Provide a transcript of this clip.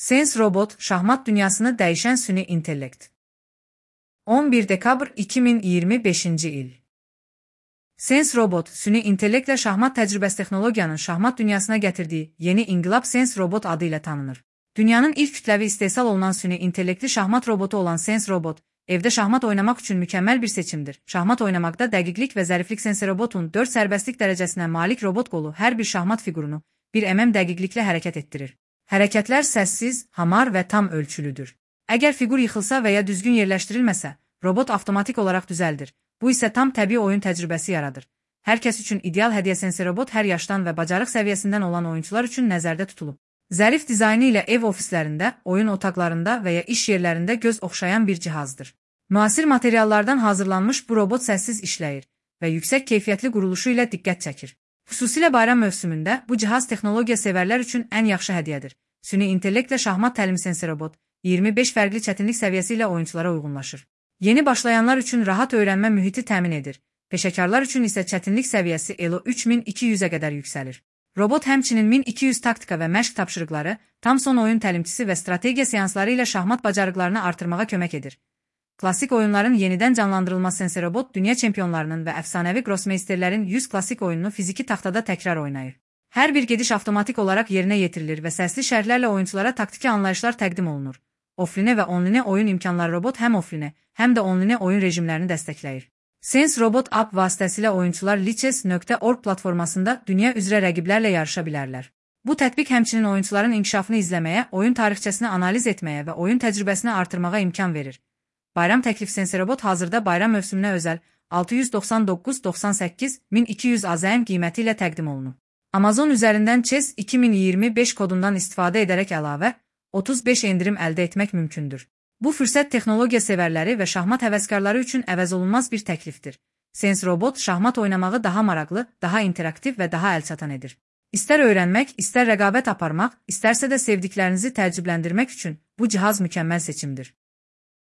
Sense Robot, şahmat dünyasını dəyişən süni intellekt. 11 dekabr 2025-ci il. Sense Robot, süni intellektlə şahmat təcrübəsi texnologiyanın şahmat dünyasına gətirdiyi yeni inqilab Sense Robot adı ilə tanınır. Dünyanın ilk kütləvi istehsal olunan süni intellektli şahmat robotu olan Sense Robot, evdə şahmat oynamaq üçün mükəmməl bir seçimdir. Şahmat oynamaqda dəqiqlik və zəriflik Sense Robotun 4 sərbəstlik dərəcəsinə malik robot qolu hər bir şahmat figurunu 1 dəqiqliklə hərəkət etdirir. Hərəkətlər səssiz, hamar və tam ölçülüdür. Əgər figur yıxılsa və ya düzgün yerləşdirilməsə, robot avtomatik olaraq düzəldir. Bu isə tam təbii oyun təcrübəsi yaradır. Hər kəs üçün ideal hədiyyə Sense Robot hər yaşdan və bacarıq səviyyəsindən olan oyunçular üçün nəzərdə tutulub. Zərif dizaynı ilə ev ofislərində, oyun otaqlarında və ya iş yerlərində göz oxşayan bir cihazdır. Müasir materiallardan hazırlanmış bu robot səssiz işləyir və yüksək keyfiyyətli quruluşu ilə diqqət çəkir. Xüsusilə bayram mövsümündə bu cihaz texnologiya sevərlər üçün ən yaxşı hədiyyədir. Süni intellektlə şahmat təlimi Sense Robot 25 fərqli çətinlik səviyyəsi ilə oyunçulara uyğunlaşır. Yeni başlayanlar üçün rahat öyrənmə mühiti təmin edir. Peşəkarlar üçün isə çətinlik səviyyəsi ELO 3200-ə qədər yüksəlir. Robot həmçinin 1200 taktika və məşq tapşırıqları, tam son oyun təlimçisi və strategiya seansları ilə şahmat bacarıqlarını artırmağa kömək edir. Klassik oyunların yenidən canlandırılması Sense Robot, dünya çempionlarının və əfsanəvi grossmeisterlərin 100 klassik oyununu fiziki taxtada təkrar oynayır. Hər bir gediş avtomatik olaraq yerinə yetirilir və səsli şərhlərlə oyunçulara taktiki anlayışlar təqdim olunur. Offline və online oyun imkanları robot həm offline, həm də online oyun rejimlərini dəstəkləyir. Sense Robot app vasitəsilə oyunçular lichess.org platformasında dünya üzrə rəqiblərlə yarışa bilərlər. Bu tətbiq həmçinin oyunçuların inkişafını izləməyə, oyun tarixçəsini analiz etməyə və oyun təcrübəsini artırmağa imkan verir. Bayram təklif Sense Robot hazırda bayram mövsümünə özəl 699.98.1200 AZN qiyməti ilə təqdim olunub. Amazon üzərindən Chess 2025 kodundan istifadə edərək əlavə 35 endirim əldə etmək mümkündür. Bu fürsət texnologiya sevərləri və şahmat həvəskarları üçün əvəzolunmaz bir təklifdir. Sense Robot şahmat oynamağı daha maraqlı, daha interaktiv və daha əlçatan edir. İstər öyrənmək, istər rəqabət aparmaq, istərsə də sevdiklərinizi təəccübləndirmək üçün bu cihaz mükəmməl seçimdir.